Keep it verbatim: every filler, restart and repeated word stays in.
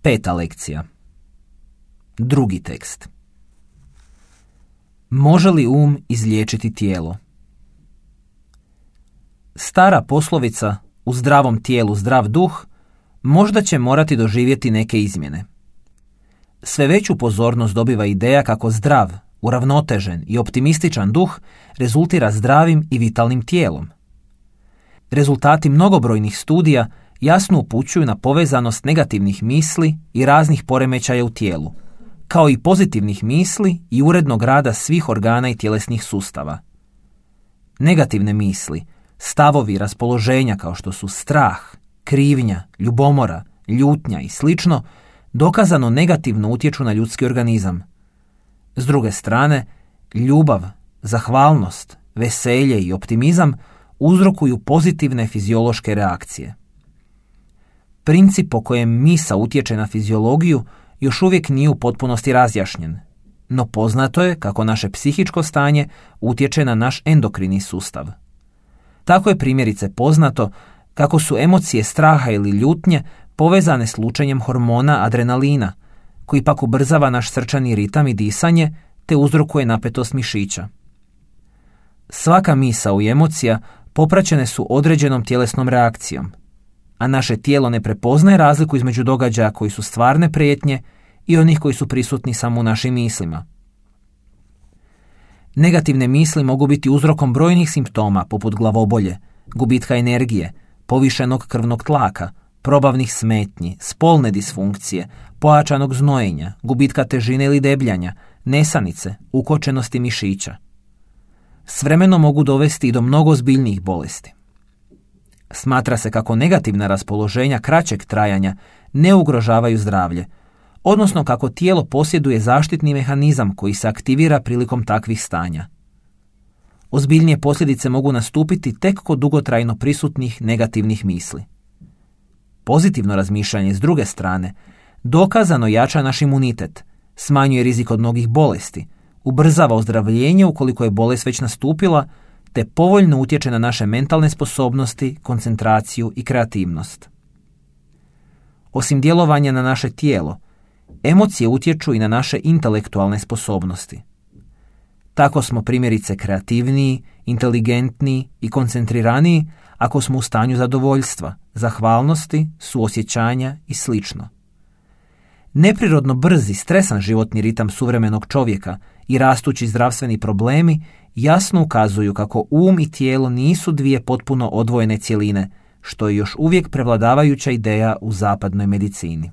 Peta lekcija. Drugi tekst. Može li um izliječiti tijelo? Stara poslovica u zdravom tijelu zdrav duh možda će morati doživjeti neke izmjene. Sve veću pozornost dobiva ideja kako zdrav, uravnotežen i optimističan duh rezultira zdravim i vitalnim tijelom. Rezultati mnogobrojnih studija jasno upućuju na povezanost negativnih misli i raznih poremećaja u tijelu, kao i pozitivnih misli i urednog rada svih organa i tjelesnih sustava. Negativne misli, stavovi i raspoloženja kao što su strah, krivnja, ljubomora, ljutnja i slično, dokazano negativno utječu na ljudski organizam. S druge strane, ljubav, zahvalnost, veselje i optimizam uzrokuju pozitivne fiziološke reakcije. Princip po kojem misa utječe na fiziologiju još uvijek nije u potpunosti razjašnjen, no poznato je kako naše psihičko stanje utječe na naš endokrini sustav. Tako je primjerice poznato kako su emocije straha ili ljutnje povezane s lučenjem hormona adrenalina, koji pak ubrzava naš srčani ritam i disanje te uzrokuje napetost mišića. Svaka misao i emocija popraćene su određenom tjelesnom reakcijom, a naše tijelo ne prepoznaje razliku između događaja koji su stvarne prijetnje i onih koji su prisutni samo u našim mislima. Negativne misli mogu biti uzrokom brojnih simptoma poput glavobolje, gubitka energije, povišenog krvnog tlaka, probavnih smetnji, spolne disfunkcije, pojačanog znojenja, gubitka težine ili debljanja, nesanice, ukočenosti mišića. S vremenom mogu dovesti i do mnogo ozbiljnijih bolesti. Smatra se kako negativna raspoloženja kraćeg trajanja ne ugrožavaju zdravlje, odnosno kako tijelo posjeduje zaštitni mehanizam koji se aktivira prilikom takvih stanja. Ozbiljnije posljedice mogu nastupiti tek kod dugotrajno prisutnih negativnih misli. Pozitivno razmišljanje s druge strane dokazano jača naš imunitet, smanjuje rizik od mnogih bolesti, ubrzava ozdravljenje ukoliko je bolest već nastupila, te povoljno utječe na naše mentalne sposobnosti, koncentraciju i kreativnost. Osim djelovanja na naše tijelo, emocije utječu i na naše intelektualne sposobnosti. Tako smo primjerice kreativniji, inteligentniji i koncentriraniji ako smo u stanju zadovoljstva, zahvalnosti, suosjećanja i slično. Neprirodno brzi, stresan životni ritam suvremenog čovjeka i rastući zdravstveni problemi jasno ukazuju kako um i tijelo nisu dvije potpuno odvojene cjeline, što je još uvijek prevladavajuća ideja u zapadnoj medicini.